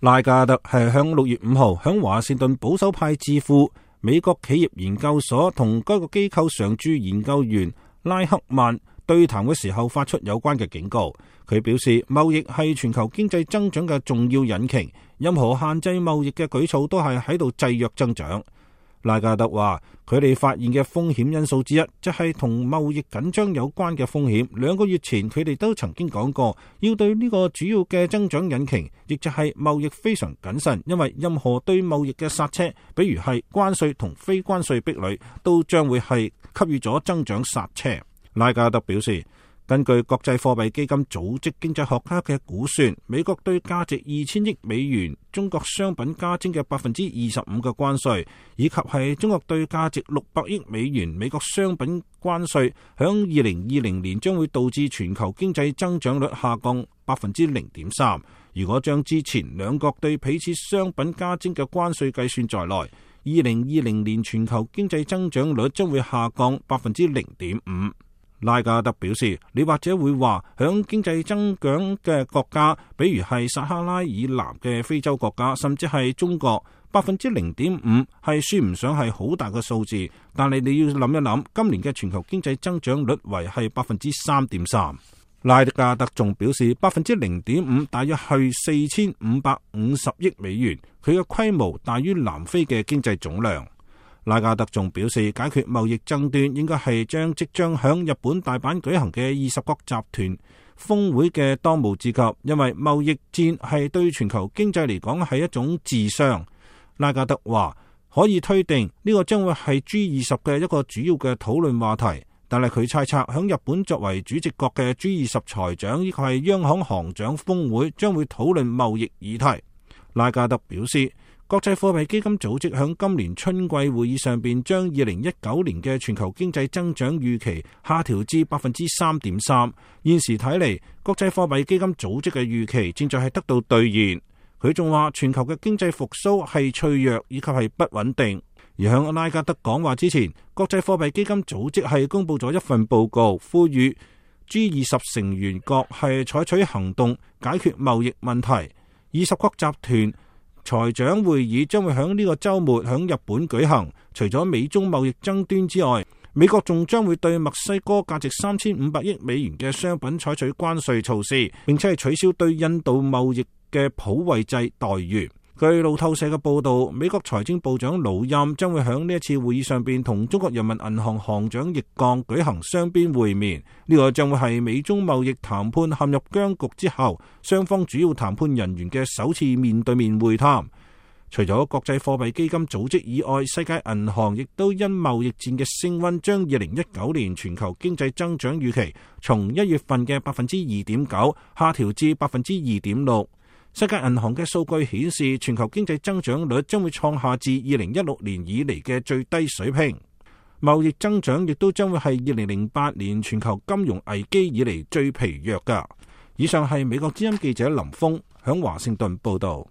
拉加德係向6月5號響華盛頓保守派智庫美國企業研究所同該個機構常駐研究員拉克曼對談嘅時候發出有關嘅警告。佢表示，貿易係全球經濟增長嘅重要引擎，任何限制貿易嘅舉措都係喺度制約增長。拉加德話，佢哋發現嘅風險因素之一，即係同貿易緊張有關嘅風險。2個月前，佢哋都曾經講過，要對呢個主要嘅增長引擎，亦就係貿易非常謹慎，因為任何對貿易嘅剎車，比如係關稅同非關稅壁壘，都將會係給予咗增長剎車。拉加德表示，根據國際貨幣基金組織經濟學家嘅估算，美國對價值2000億美元中國商品加徵嘅25%嘅關稅，以及係中國對價值600億美元美國商品關稅，響2020年將會導致全球經濟增長率下降0.3%。如果將之前兩國對彼此商品加徵嘅關稅計算在內，2020年全球經濟增長率將會下降0.5%。拉加德表示，你或者會話，響經濟增長嘅國家，比如係撒哈拉以南嘅非洲國家，甚至係中國，0.5%係算唔上係好大嘅數字。但係你要諗一諗，今年嘅全球經濟增長率為係3.3%。拉加德仲表示，0.5%大約係4550億美元，佢嘅規模大於南非嘅經濟總量。拉加德仲表示，解決貿易爭端應該係將即將響日本大阪舉行嘅20國集團峰會嘅當務之急，因為貿易戰係對全球經濟嚟講係一種自傷。拉加德話，可以推定呢個將會係 G20 嘅一個主要嘅討論話題，但係佢猜測響日本作為主席國嘅 G20 財長以及係央行行長峰會將會討論貿易議題。拉加德表示，國際貨幣基金組織響今年春季會議上邊將2019年嘅全球經濟增長預期下調至 3.3%。現時睇嚟，國際貨幣基金組織嘅預期正在係得到兌現。佢仲話，全球嘅經濟復甦係脆弱以及係不穩定。而響拉加德講話之前，國際貨幣基金組織係公布咗一份報告，呼籲 G20 成員國係採取行動解決貿易問題。20國集團財長會議將會喺呢個週末喺日本舉行。除咗美中貿易爭端之外，美國仲將會對墨西哥價值3500億美元嘅商品採取關稅措施，並且係取消對印度貿易嘅普惠制待遇。據路透社嘅報道，美國財政部長魯欽將會喺呢一次會議上邊同中國人民銀行行長易綱舉行雙邊會面。呢個將會係美中貿易談判陷入僵局之後，雙方主要談判人員嘅首次面對面會談。除咗國際貨幣基金組織以外，世界銀行亦都因貿易戰嘅升溫，將2019年全球經濟增長預期從1月份嘅 2.9% 下調至 2.6%。世界銀行嘅數據顯示，全球經濟增長率將會創下自2016年以嚟嘅最低水平。貿易增長亦都將會係2008年全球金融危機以嚟最疲弱㗎。以上係美國之音記者林峰響華盛頓報道。